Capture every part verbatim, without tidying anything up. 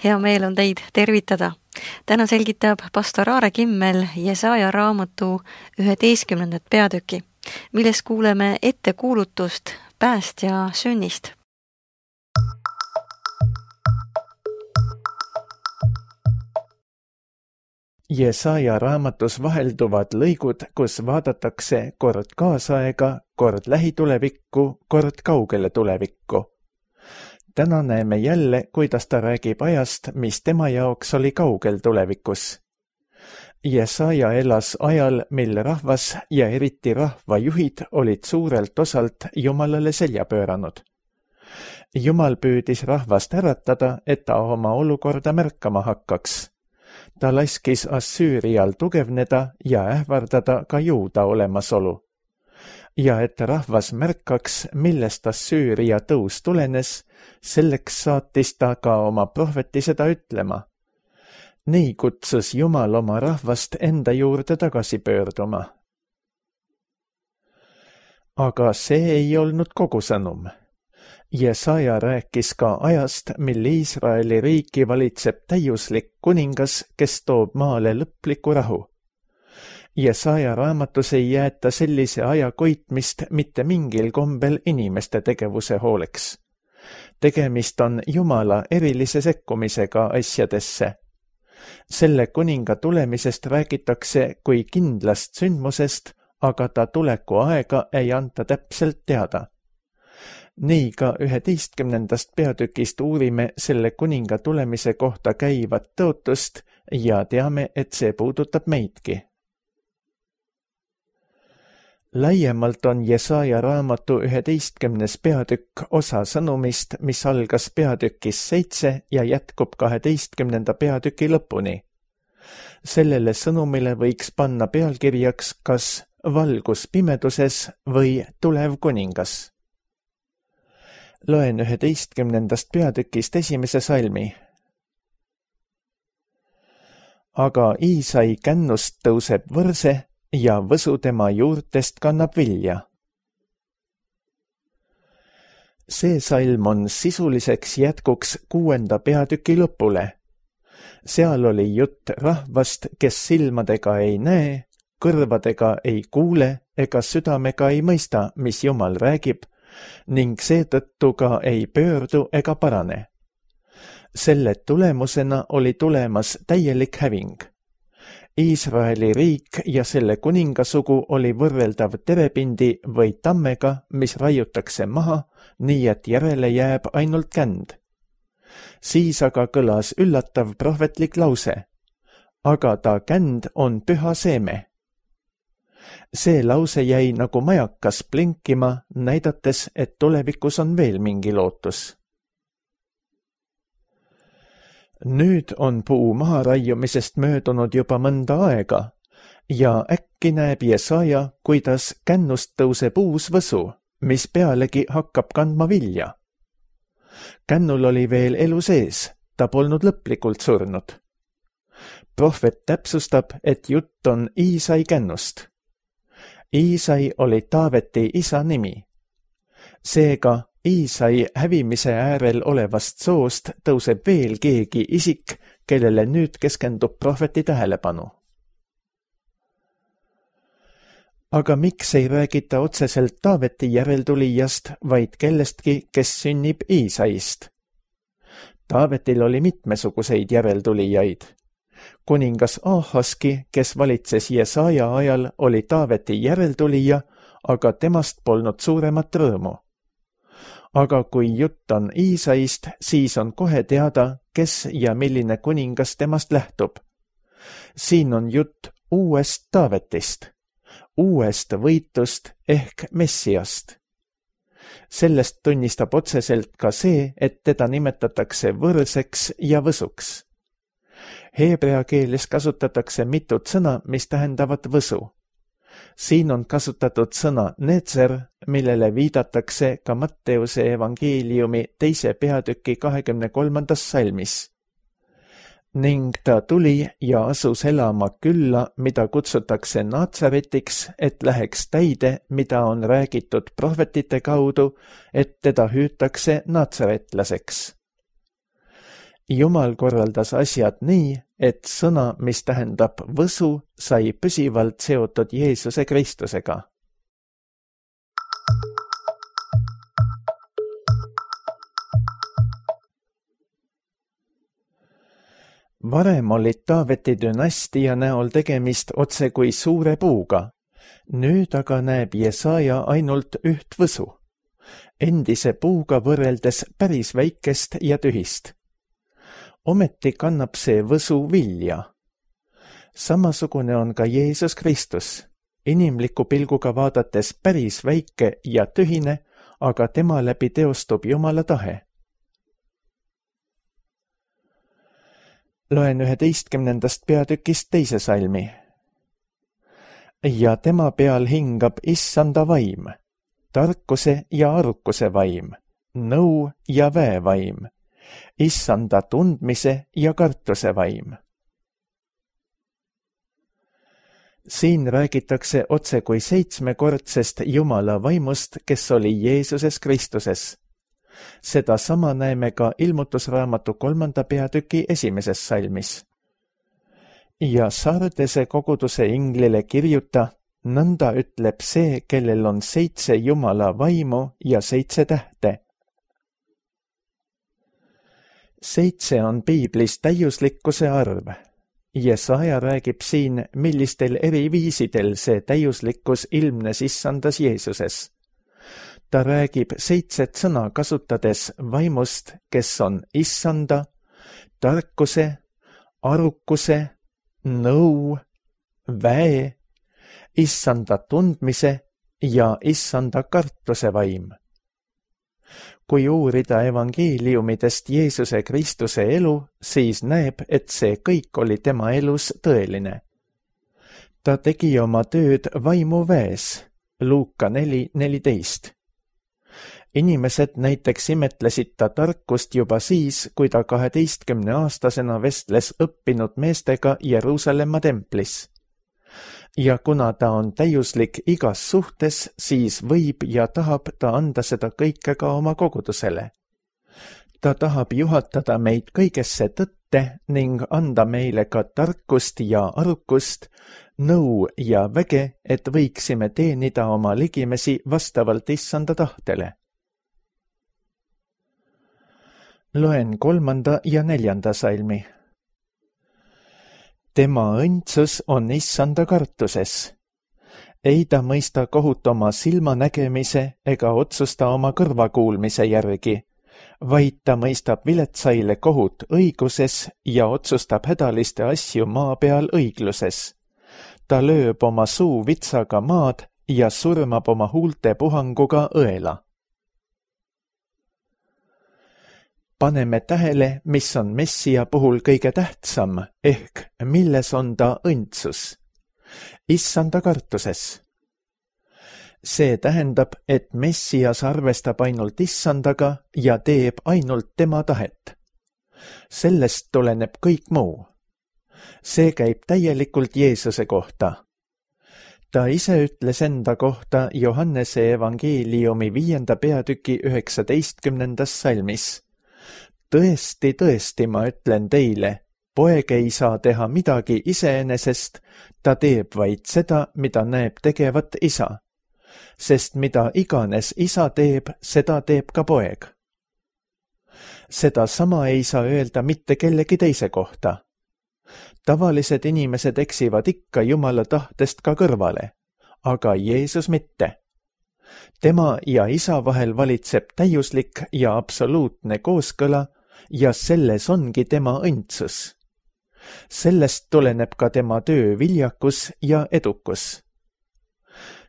Hea meel on teid tervitada. Täna selgitab pastor Aare Kimmel Jesaja raamatu üheteistkümnendat peatüki, milles kuuleme ettekuulutust päästja sünnist. Jesaja raamatus vahelduvad lõigud, kus vaadatakse kord kaasaega, kord lähitulevikku, kord kaugele tulevikku. Täna näeme jälle, kuidas ta räägib ajast, mis tema jaoks oli kaugel tulevikus. Jesaja elas ajal, mil rahvas ja eriti rahvajuhid olid suurelt osalt Jumalale selja pööranud. Jumal püüdis rahvast äratada, et ta oma olukorda märkama hakkaks. Ta laskis Assüürial tugevneda ja ähvardada ka Juuda olemasolu. Ja et rahvas märkaks, millest Assüüria tõus tulenes, selleks saatis ta ka oma prohveti seda ütlema. Nii kutsus Jumal oma rahvast enda juurde tagasi pöörduma. Aga see ei olnud kogu sõnum. Jesaja rääkis ka ajast, mil Iisraeli riiki valitseb täiuslik kuningas, kes toob maale lõpliku rahu. Jesaja raamatus ei jäeta sellise aja koitmist mitte mingil kombel inimeste tegevuse hooleks. Tegemist on Jumala erilise sekkumisega asjadesse. Selle kuninga tulemisest räägitakse kui kindlast sündmusest, aga ta tuleku aega ei anta täpselt teada. Nii ka üheteistkümnendast peatükist uurime selle kuninga tulemise kohta käivat tõotust ja teame, et see puudutab meidki. Laiemalt on Jesaja raamatu üheteistkümnes peatükk osa sõnumist, mis algas peatükis seitse ja jätkub kaheteistkümnenda peatüki lõpuni. Sellele sõnumile võiks panna pealkirjaks kas valgus pimeduses või tulev kuningas. Loen üheteistkümnendast peatükist esimese salmi. Aga Iisai kännust tõuseb võrse ja võsu tema juurtest kannab vilja. See salm on sisuliseks jätkuks kuuenda peatüki lõpule. Seal oli jutt rahvast, kes silmadega ei näe, kõrvadega ei kuule ega südamega ei mõista, mis Jumal räägib, ning seetõttu ka ei pöördu ega parane. Selle tulemusena oli tulemas täielik häving. Iisraeli riik ja selle kuningasugu oli võrreldav terepindi või tammega, mis raiutakse maha, nii et järele jääb ainult känd. Siis aga kõlas üllatav prohvetlik lause. Aga ta känd on püha seeme. See lause jäi nagu majakas blinkima, näidates, et tulevikus on veel mingi lootus. Nüüd on puu maha raiumisest möödunud juba mõnda aega ja äkki näeb Jesaja, kuidas kännust tõuseb uus võsu, mis pealegi hakkab kandma vilja. Kännul oli veel elu sees, ta polnud lõplikult surnud. Prohvet täpsustab, et jutt on Iisai kännust. Iisai oli Taaveti isa nimi. Seega Iisai hävimise äärel olevast soost tõuseb veel keegi isik, kellele nüüd keskendub prohveti tähelepanu. Aga miks ei räägita otseselt Taaveti järeltulijast, vaid kellestki, kes sünnib Iisaist? Taavetil oli mitmesuguseid järeltulijaid. Kuningas Aahaski, kes valitses Jesaja ajal, oli Taaveti järeltulija, aga temast polnud suuremat rõõmu. Aga kui jutt on Iisaist, siis on kohe teada, kes ja milline kuningas temast lähtub. Siin on jutt uuest Taavetist, uuest võitust ehk Messiast. Sellest tunnistab otseselt ka see, et teda nimetatakse võrseks ja võsuks. Heebrea keeles kasutatakse mitut sõna, mis tähendavad võsu. Siin on kasutatud sõna netzer, millele viidatakse ka Matteuse evangeeliumi teise peatüki kahekümne kolmandas salmis. Ning ta tuli ja asus elama külla, mida kutsutakse Natsaretiks, et läheks täide, mida on räägitud prohvetite kaudu, et teda hüütakse natsaretlaseks. Jumal korraldas asjad nii, et sõna, mis tähendab võsu, sai püsivalt seotud Jeesuse Kristusega. Varem olid Taaveti dünastia näol tegemist otse kui suure puuga. Nüüd aga näeb Jesaja ainult üht võsu. Endise puuga võrreldes päris väikest ja tühist. Ometi kannab see võsu vilja. Samasugune on ka Jeesus Kristus, inimliku pilguga vaadates päris väike ja tühine, aga tema läbi teostub Jumala tahe. Loen üheteistkümnendast peatükist teise salmi. Ja tema peal hingab issanda vaim, tarkuse ja arukuse vaim, nõu ja väevaim, issanda tundmise ja kartuse vaim. Siin räägitakse otse kui seitsmekordsest Jumala vaimust, kes oli Jeesuses Kristuses. Seda sama näeme ka ilmutusraamatu kolmanda peatüki esimeses salmis. Ja Sardese koguduse inglile kirjuta, nõnda ütleb see, kellel on seitse Jumala vaimu ja seitse tähte. Seitse on piiblis täiuslikkuse arv. Jesaja räägib siin, millistel eri viisidel see täiuslikkus ilmnes issandas Jeesuses. Ta räägib seitset sõna kasutades vaimust, kes on issanda, tarkuse, arukuse, nõu, väe, issanda tundmise ja issanda kartuse vaim. Kui uurida evangeeliumidest Jeesuse Kristuse elu, siis näeb, et see kõik oli tema elus tõeline. Ta tegi oma tööd vaimu väes, Luuka neli neliteist. Inimesed näiteks imetlesid ta tarkust juba siis, kui ta kaheteistkümne aastasena vestles õppinud meestega Jeruusalemma templis. Ja kuna ta on täiuslik igas suhtes, siis võib ja tahab ta anda seda kõike ka oma kogudusele. Ta tahab juhatada meid kõigesse tõtte ning anda meile ka tarkust ja arukust, nõu ja väge, et võiksime teenida oma ligimesi vastavalt issanda tahtele. Loen kolmanda ja neljanda salmi. Tema õndsus on issanda kartuses. Ei ta mõista kohut oma silmanägemise ega otsusta oma kõrvakuulmise järgi, vaid ta mõistab viletsaile kohut õiguses ja otsustab hädaliste asju maa peal õigluses. Ta lööb oma suu vitsaga maad ja surmab oma huulte puhanguga õela. Paneme tähele, mis on Messia puhul kõige tähtsam, ehk milles on ta õndsus. Issanda kartuses. See tähendab, et Messias arvestab ainult issandaga ja teeb ainult tema tahet. Sellest tuleneb kõik muu. See käib täielikult Jeesuse kohta. Ta ise ütles enda kohta Johannese evangeeliumi viienda peatüki üheksateistkümnendas salmis. Tõesti, tõesti, ma ütlen teile, poeg ei saa teha midagi iseenesest, ta teeb vaid seda, mida näeb tegevat isa. Sest mida iganes isa teeb, seda teeb ka poeg. Seda sama ei saa öelda mitte kellegi teise kohta. Tavalised inimesed eksivad ikka Jumala tahtest ka kõrvale, aga Jeesus mitte. Tema ja isa vahel valitseb täiuslik ja absoluutne kooskõla ja selles ongi tema õndsus. Sellest tuleneb ka tema töö viljakus ja edukus.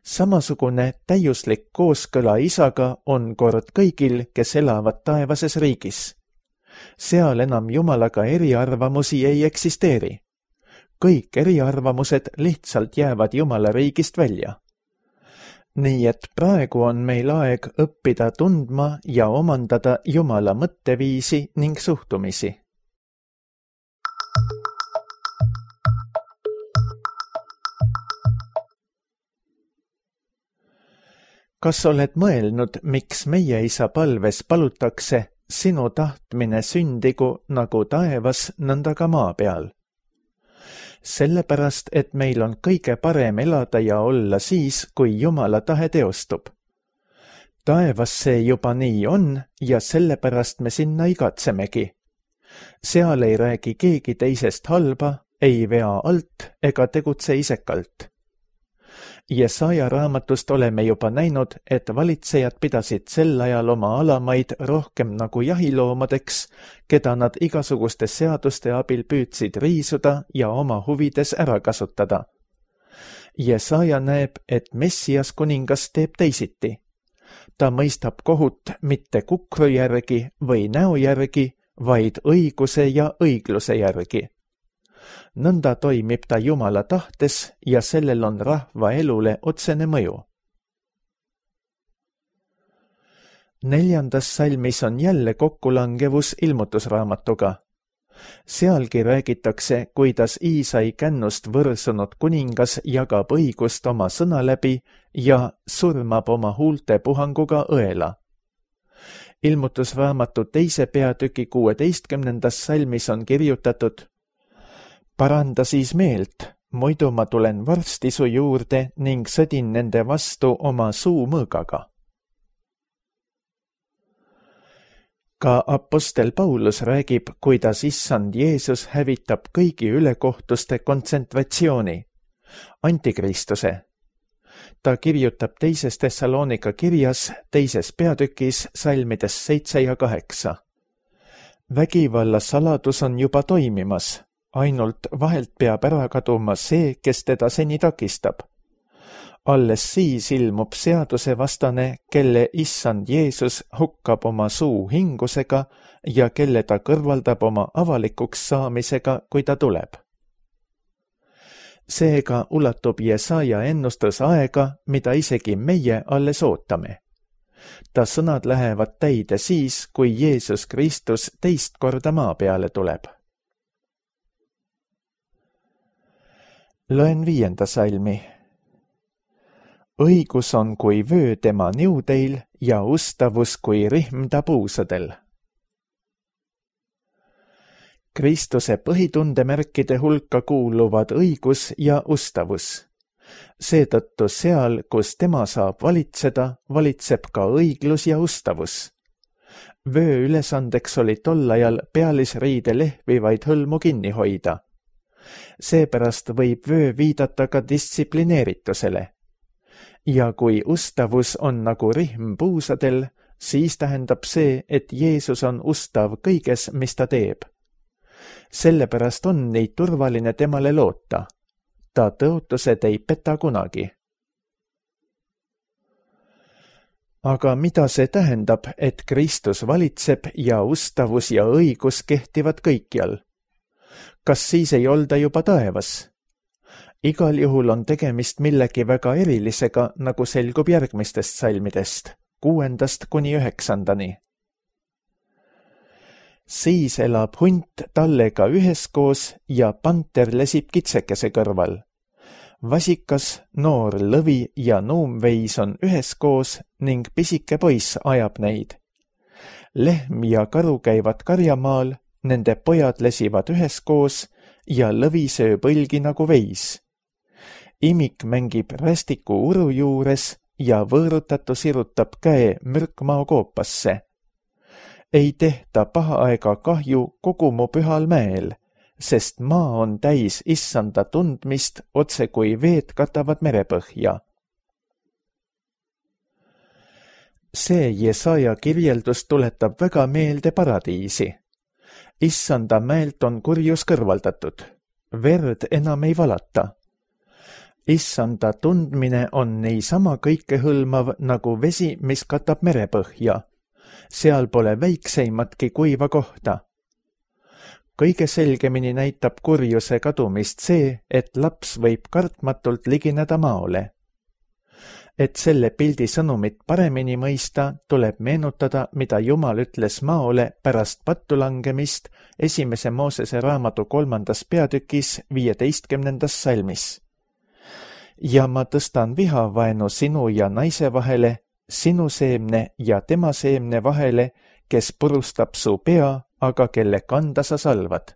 Samasugune täiuslik kooskõla isaga on kord kõigil, kes elavad taevases riigis. Seal enam Jumalaga eriarvamusi ei eksisteeri. Kõik eriarvamused lihtsalt jäävad Jumala riigist välja. Nii et praegu on meil aeg õppida tundma ja omandada Jumala mõtteviisi ning suhtumisi. Kas oled mõelnud, miks meie isa palves palutakse sinu tahtmine sündigu nagu taevas, nõnda ka maa peal. Sellepärast, et meil on kõige parem elada ja olla siis, kui Jumala tahe teostub. Taevas see juba nii on ja sellepärast me sinna igatsemegi. Seal ei räägi keegi teisest halba, ei vea alt ega tegutse isekalt. Jesaja raamatust oleme juba näinud, et valitsejad pidasid sel ajal oma alamaid rohkem nagu jahiloomadeks, keda nad igasuguste seaduste abil püüdsid riisuda ja oma huvides ära kasutada. Jesaja näeb, et Messias kuningas teeb teisiti. Ta mõistab kohut mitte kukru järgi või näo järgi, vaid õiguse ja õigluse järgi. Nõnda toimib ta Jumala tahtes ja sellel on rahva elule otsene mõju. Neljandas salmis on jälle kokkulangevus ilmutusraamatuga. Sealgi räägitakse, kuidas Iisai kännust võrsunud kuningas jagab õigust oma sõna läbi ja surmab oma huulte puhanguga õela. Ilmutusraamatu teise peatüki kuueteistkümnendas salmis on kirjutatud: paranda siis meelt, muidu ma tulen varsti su juurde ning sõdin nende vastu oma suu mõõgaga. Ka apostel Paulus räägib, kuidas issand Jeesus hävitab kõigi ülekohtuste kontsentratsiooni, antikristuse. Ta kirjutab teises Thessalonika kirjas teises peatükis salmides seitse ja kaheksa. Vägivalla saladus on juba toimimas, ainult vahelt peab ära kaduma see, kes teda seni takistab. Alles siis ilmub seaduse vastane, kelle issand Jeesus hukkab oma suu hingusega ja kelle ta kõrvaldab oma avalikuks saamisega, kui ta tuleb. Seega ulatub Jesaja ennustus aega, mida isegi meie alles ootame. Ta sõnad lähevad täide siis, kui Jeesus Kristus teist korda maa peale tuleb. Loen viienda salmi. Õigus on kui vöö tema niudeil ja ustavus kui rihm ta puusadel. Kristuse põhitundemärkide hulka kuuluvad õigus ja ustavus. Seetõttu seal, kus tema saab valitseda, valitseb ka õiglus ja ustavus. Vöö ülesandeks oli tol ajal pealisriide lehvivaid hõlmu kinni hoida. Seepärast võib vöö viidata ka distsiplineeritusele. Ja kui ustavus on nagu rihm puusadel, siis tähendab see, et Jeesus on ustav kõiges, mis ta teeb. Sellepärast on nii turvaline temale loota. Ta tõotused ei peta kunagi. Aga mida see tähendab, et Kristus valitseb ja ustavus ja õigus kehtivad kõikjal? Kas siis ei olda juba taevas? Igal juhul on tegemist millegi väga erilisega, nagu selgub järgmistest salmidest, kuuendast kuni üheksandani. Siis elab hunt tallega üheskoos ja panter lesib kitsekese kõrval. Vasikas, noor lõvi ja nuumveis on üheskoos ning pisike poiss ajab neid. Lehm ja karu käivad karjamaal, nende pojad lesivad üheskoos ja lõvi sööb õlgi nagu veis. Imik mängib rästiku uru juures ja võõrutatu sirutab käe mürkmao koopasse. Ei tehta paha aega kahju kogu mu pühal mäel, sest maa on täis issanda tundmist, otse kui veed katavad merepõhja. See Jesaja kirjeldus tuletab väga meelde paradiisi. Issanda mäelt on kurjus kõrvaldatud. Verd enam ei valata. Issanda tundmine on niisama kõikehõlmav nagu vesi, mis katab merepõhja. Seal pole väikseimatki kuiva kohta. Kõige selgemini näitab kurjuse kadumist see, et laps võib kartmatult ligineda maole. Et selle pildi sõnumit paremini mõista, tuleb meenutada, mida Jumal ütles maole pärast pattu langemist esimese Moosese raamatu kolmandas peatükis viieteistkümnendas salmis. Ja ma tõstan vihavaenu sinu ja naise vahele, sinu seemne ja tema seemne vahele, kes purustab su pea, aga kelle kanda sa salvad.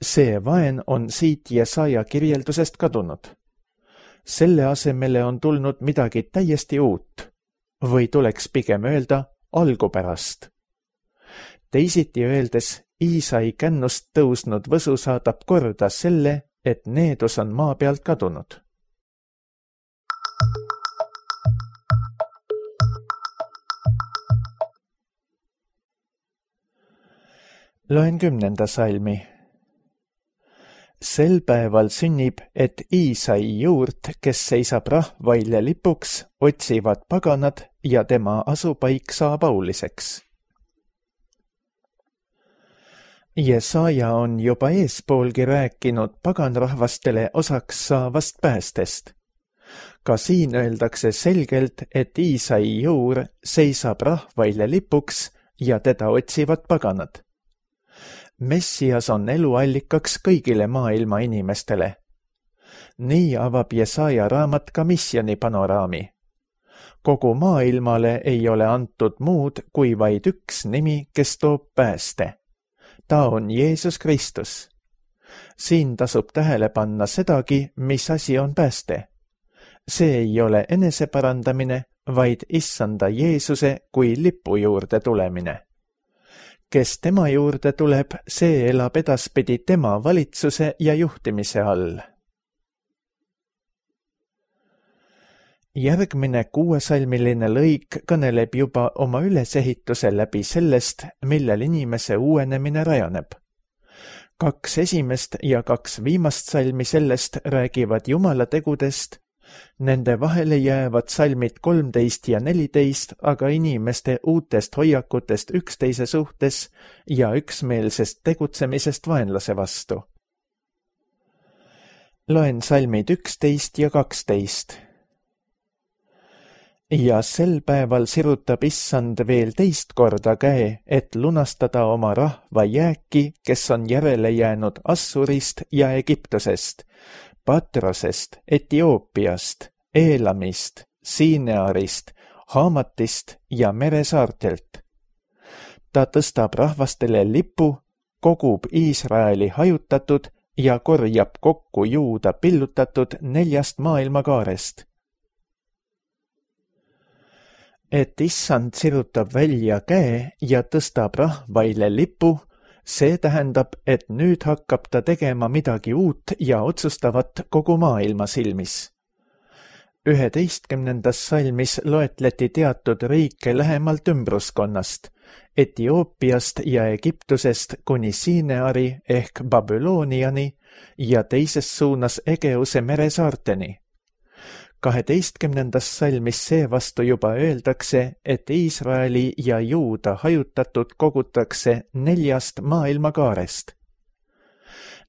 See vaen on siit Jesaja kirjeldusest kadunud. Selle asemele on tulnud midagi täiesti uut, või tuleks pigem öelda algupärast. Teisiti öeldes, Iisai kännust tõusnud võsu saadab korda selle, et needus on maa pealt kadunud. Loen kümnenda salmi. Sel päeval sünnib, et Iisai juurt, kes seisab rahvaile lipuks, otsivad paganad ja tema asupaik saab auliseks. Jesaja on juba eespoolgi rääkinud paganrahvastele osaks saavast päästest. Ka siin öeldakse selgelt, et Iisai juur seisab rahvaile lipuks ja teda otsivad paganad. Messias on eluallikaks kõigile maailma inimestele. Nii avab Jesaja raamat ka missiooni panoraami. Kogu maailmale ei ole antud muud kui vaid üks nimi, kes toob pääste. Ta on Jeesus Kristus. Siin tasub tähele panna sedagi, mis asi on pääste. See ei ole eneseparandamine, vaid issanda Jeesuse kui lipu juurde tulemine. Kes tema juurde tuleb, see elab edaspidi tema valitsuse ja juhtimise all. Järgmine kuuesalmiline lõik kõneleb juba oma ülesehituse läbi sellest, millel inimese uuenemine rajaneb. Kaks esimest ja kaks viimast salmi sellest räägivad Jumala tegudest. Nende vahele jäävad salmid kolmteist ja neliteist, aga inimeste uutest hoiakutest üksteise suhtes ja üksmeelsest tegutsemisest vaenlase vastu. Loen salmid üksteist ja kaksteist. Ja sel päeval sirutab issand veel teist korda käe, et lunastada oma rahva jääki, kes on järele jäänud Assurist ja Egiptusest, Patrosest, Etioopiast, Eelamist, Siinearist, Haamatist ja meresaartelt. Ta tõstab rahvastele lipu, kogub Iisraeli hajutatud ja korjab kokku Juuda pillutatud neljast maailmakaarest. Et issand sirutab välja käe ja tõstab rahvaile lipu, see tähendab, et nüüd hakkab ta tegema midagi uut ja otsustavat kogu maailma silmis. üheteistkümnendas salmis loetleti teatud riike lähemalt ümbruskonnast, Etioopiast ja Egiptusest kuni Siineari ehk Babyloniani ja teises suunas Egeuse meresaarteni. kaheteistkümnendas salmis seevastu juba öeldakse, et Iisraeli ja Juuda hajutatud kogutakse neljast maailmakaarest.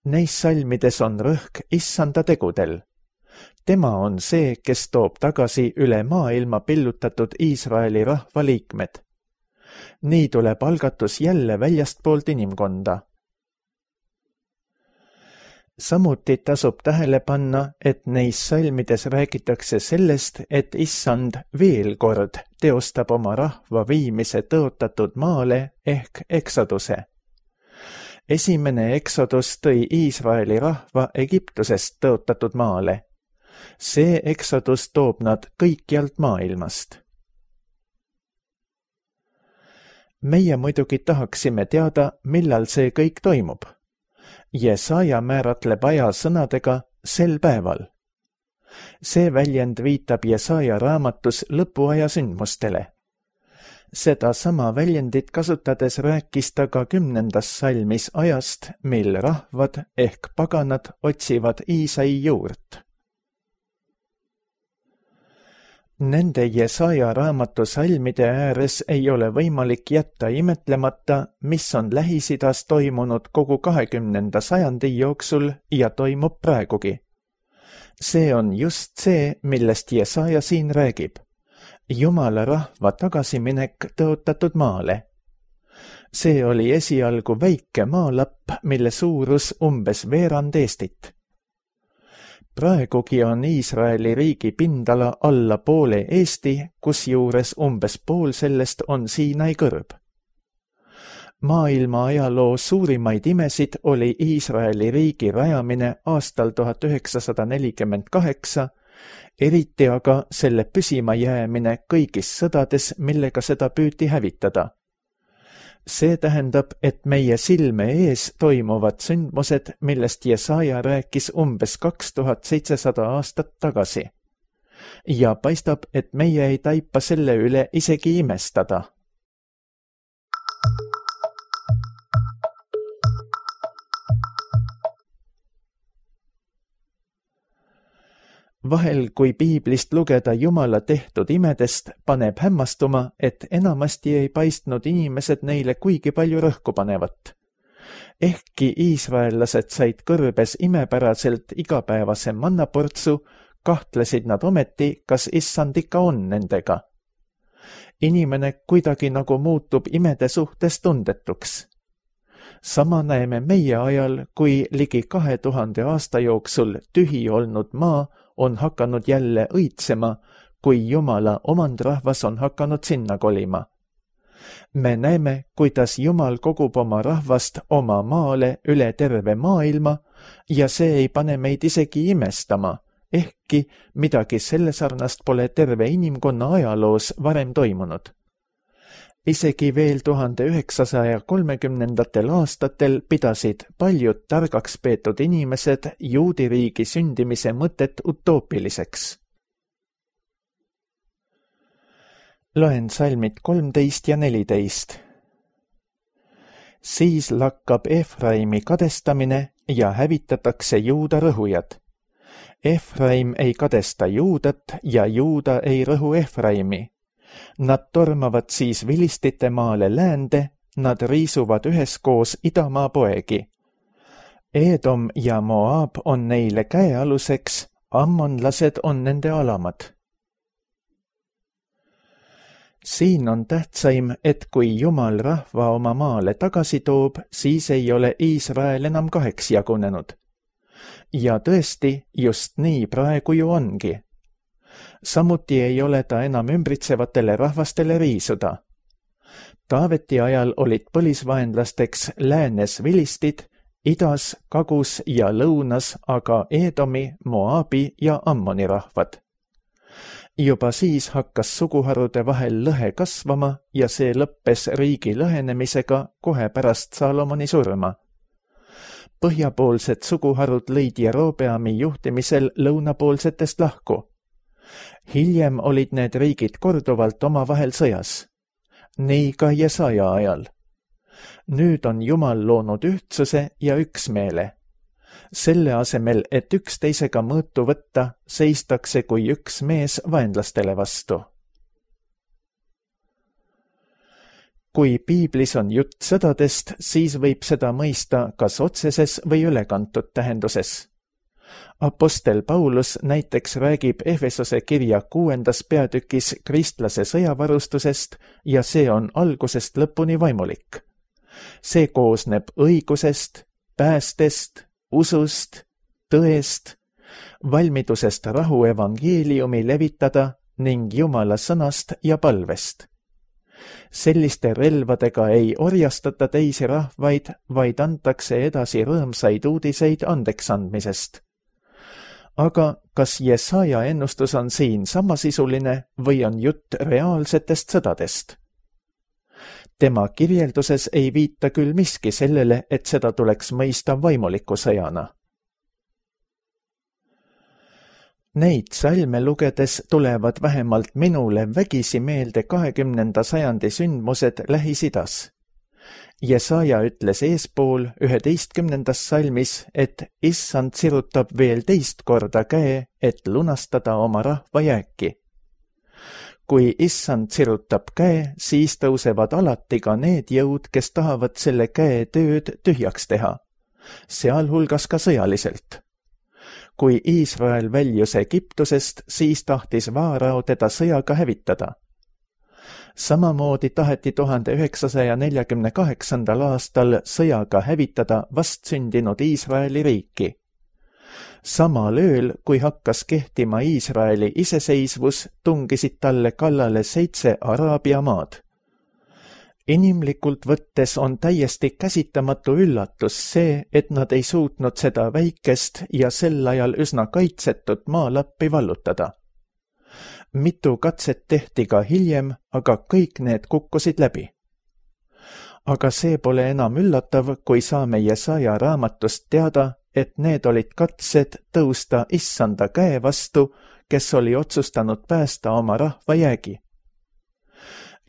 Neis salmides on rõhk issanda tegudel. Tema on see, kes toob tagasi üle maailma pillutatud Iisraeli rahva liikmed. Nii tuleb algatus jälle väljastpoolt inimkonda. Samuti tasub tähele panna, et neis salmides räägitakse sellest, et issand veel kord teostab oma rahva viimise tõotatud maale ehk eksoduse. Esimene eksodus tõi Iisraeli rahva Egiptusest tõotatud maale. See eksodus toob nad kõikjalt maailmast. Meie muidugi tahaksime teada, millal see kõik toimub. Jesaja määratleb aja sõnadega sel päeval. See väljend viitab Jesaja raamatus lõpuaja sündmustele. Seda sama väljendit kasutades rääkis ta ka kümnendas salmis ajast, mil rahvad ehk paganad otsivad Iisai juurt. Nende Jesaja raamatu salmide ääres ei ole võimalik jätta imetlemata, mis on Lähis-Idas toimunud kogu kahekümnenda sajandi jooksul ja toimub praegugi. See on just see, millest Jesaja siin räägib. Jumala rahva tagasiminek tõotatud maale. See oli esialgu väike maalapp, mille suurus umbes veerand Eestit. Praegugi on Iisraeli riigi pindala alla poole Eesti, kusjuures umbes pool sellest on Siinai kõrb. Maailma ajaloo suurimaid imesid oli Iisraeli riigi rajamine aastal tuhat üheksasada nelikümmend kaheksa, eriti aga selle püsima jäämine kõigis sõdades, millega seda püüti hävitada. See tähendab, et meie silme ees toimuvad sündmused, millest Jesaja rääkis umbes kaks tuhat seitsesada aastat tagasi. Ja paistab, et meie ei taipa selle üle isegi imestada. Vahel, kui piiblist lugeda Jumala tehtud imedest, paneb hämmastuma, et enamasti ei paistnud inimesed neile kuigi palju rõhku panevat. Ehkki iisraellased said kõrbes imepäraselt igapäevase mannaportsu, kahtlesid nad ometi, kas issand ikka on nendega. Inimene kuidagi nagu muutub imede suhtes tundetuks. Sama näeme meie ajal, kui ligi kahe tuhande aasta jooksul tühi olnud maa on hakanud jälle õitsema, kui Jumala omandrahvas on hakanud sinna kolima. Me näeme, kuidas Jumal kogub oma rahvast oma maale üle terve maailma ja see ei pane meid isegi imestama, ehkki midagi selle sarnast pole terve inimkonna ajaloos varem toimunud. Isegi veel tuhande üheksasaja kolmekümnendatel aastatel pidasid paljud targaks peetud inimesed juudiriigi sündimise mõtet utoopiliseks. Loen salmid kolmteist ja neliteist. Siis lakkab Efraimi kadestamine ja hävitatakse Juuda rõhujad. Efraim ei kadesta Juudat ja Juuda ei rõhu Efraimi. Nad tormavad siis vilistite maale läände, nad riisuvad üheskoos idamaa poegi. Edom ja Moab on neile käealuseks, ammonlased on nende alamad. Siin on tähtsaim, et kui Jumal rahva oma maale tagasi toob, siis ei ole Iisrael enam kaheks jagunenud. Ja tõesti, just nii praegu ju ongi. Samuti ei ole ta enam ümbritsevatele rahvastele riisuda. Taaveti ajal olid põlisvaenlasteks läänes vilistid, idas, kagus ja lõunas aga Edomi, Moabi ja Ammoni rahvad. Juba siis hakkas suguharude vahel lõhe kasvama ja see lõppes riigi lõhenemisega kohe pärast Salomoni surma. Põhjapoolsed suguharud lõid Jerobeami juhtimisel lõunapoolsetest lahku. Hiljem olid need riigid korduvalt omavahel sõjas. Nii ka Jesaja ajal. Nüüd on Jumal loonud ühtsuse ja üksmeele. Selle asemel, et üksteisega mõõtu võtta, seistakse kui üks mees vaenlastele vastu. Kui piiblis on jutt sõdadest, siis võib seda mõista kas otseses või ülekantud tähenduses. Apostel Paulus näiteks räägib Efesose kirja kuuendas peatükis kristlase sõjavarustusest ja see on algusest lõpuni vaimulik. See koosneb õigusest, päästest, usust, tõest, valmidusest rahu evangeeliumi levitada ning Jumala sõnast ja palvest. Selliste relvadega ei orjastata teisi rahvaid, vaid antakse edasi rõõmsaid uudiseid andeksandmisest. Aga kas Jesaja ennustus on siin samasisuline või on jutt reaalsetest sõdadest? Tema kirjelduses ei viita küll miski sellele, et seda tuleks mõista vaimuliku sõjana. Neid salme lugedes tulevad vähemalt minule vägisi meelde kahekümnenda sajandi sündmused Lähis-Idas. Jesaja ütles eespool üheteistkümnendas salmis, et issand sirutab veel teist korda käe, et lunastada oma rahva jääki. Kui issand sirutab käe, siis tõusevad alati ka need jõud, kes tahavad selle käe tööd tühjaks teha, sealhulgas ka sõjaliselt. Kui Iisrael väljus Egiptusest, siis tahtis Vaarao teda sõjaga hävitada. Samamoodi taheti tuhande üheksasaja neljakümne kaheksandal aastal sõjaga hävitada vastsündinud Iisraeli riiki. Samal ööl, kui hakkas kehtima Iisraeli iseseisvus, tungisid talle kallale seitse Araabia maad. Inimlikult võttes on täiesti käsitamatu üllatus see, et nad ei suutnud seda väikest ja sel ajal üsna kaitsetut maalappi vallutada. Mitu katset tehti ka hiljem, aga kõik need kukkusid läbi. Aga see pole enam üllatav, kui saame Jesaja raamatust teada, et need olid katsed tõusta issanda käe vastu, kes oli otsustanud päästa oma rahva jäägi.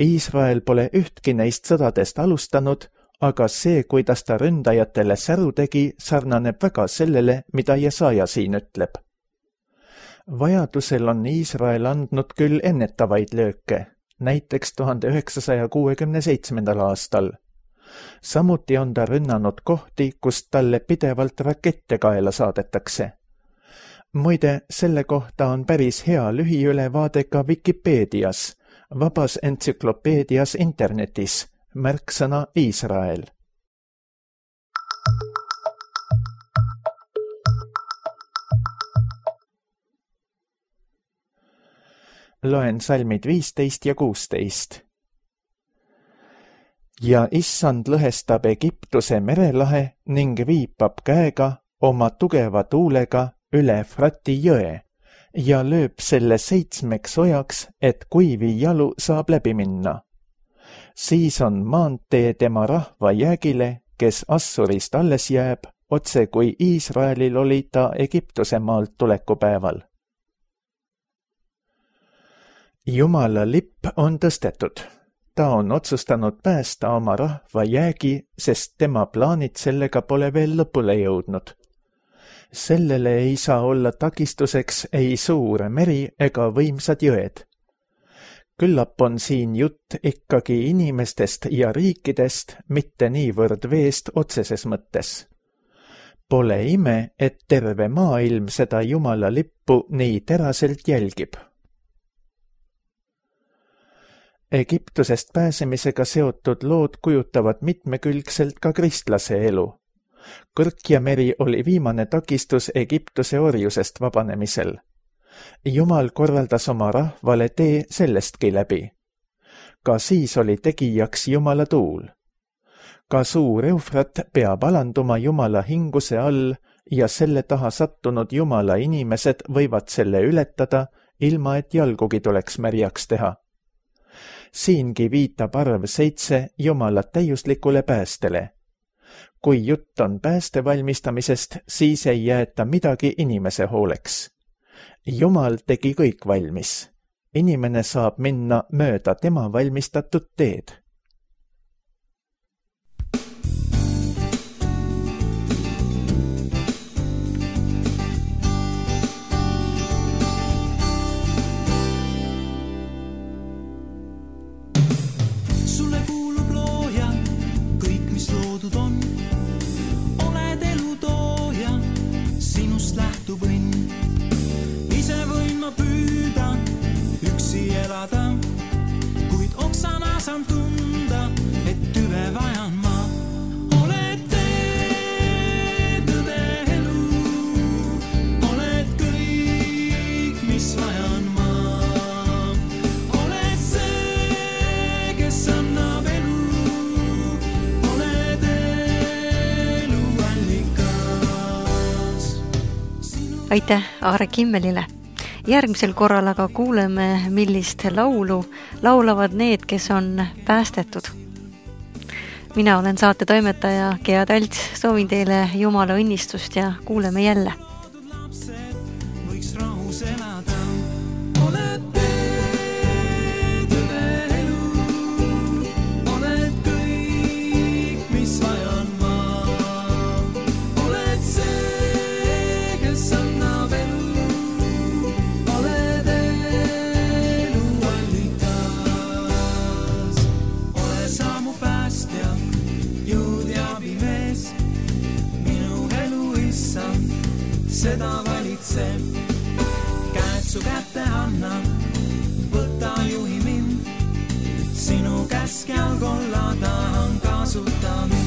Iisrael pole ühtki neist sõdadest alustanud, aga see, kuidas ta ründajatele säru tegi, sarnaneb väga sellele, mida Jesaja siin ütleb. Vajadusel on Iisrael andnud küll ennetavaid lööke, näiteks tuhande üheksasaja kuuekümne seitsmendal aastal. Samuti on ta rünnanud kohti, kust talle pidevalt rakette kaela saadetakse. Muide, selle kohta on päris hea lühiülevaade ka Wikipeedias, vabas entsüklopeedias internetis, märksõna Iisrael. Loen salmid viisteist ja kuusteist. Ja issand lõhestab Egiptuse merelahe ning viipab käega oma tugeva tuulega üle Frati jõe ja lööb selle seitsmeks ojaks, et kuivi jalu saab läbi minna. Siis on maantee tema rahva jäägile, kes Assurist alles jääb, otse kui Iisraelil oli ta Egiptuse maalt tulekupäeval. Jumala lipp on tõstetud. Ta on otsustanud päästa oma rahva jäägi, sest tema plaanid sellega pole veel lõpule jõudnud. Sellele ei saa olla takistuseks ei suur meri ega võimsad jõed. Küllap on siin jutt ikkagi inimestest ja riikidest, mitte niivõrd veest otseses mõttes. Pole ime, et terve maailm seda Jumala lippu nii teraselt jälgib. Egiptusest pääsemisega seotud lood kujutavad mitmekülgselt ka kristlase elu. Kõrkja meri oli viimane takistus Egiptuse orjusest vabanemisel. Jumal korraldas oma rahvale tee sellestki läbi. Ka siis oli tegijaks Jumala tuul. Ka suur Eufrat peab alanduma Jumala hinguse all ja selle taha sattunud Jumala inimesed võivad selle ületada, ilma et jalgugi tuleks märjaks teha. Siingi viitab arv seitse Jumala täiuslikule päästele. Kui jutt on pääste valmistamisest, siis ei jäeta midagi inimese hooleks. Jumal tegi kõik valmis. Inimene saab minna mööda tema valmistatud teed. Kuid oksana saan tunda, et tüve vajan ma. Oled tee, tõde elu, oled kõik, mis vajan ma. Oled see, kes annab elu, oled elu allikas. Aitäh Aare Kimmelile! Järgmisel korral aga kuuleme, millist laulu laulavad need, kes on päästetud. Mina olen saate toimetaja Gea Talts, soovin teile Jumala õnnistust ja kuuleme jälle. Seda valitseb, käed su kätte annan, võta juhi mind, sinu käskjal kolla tahan kasuta mind.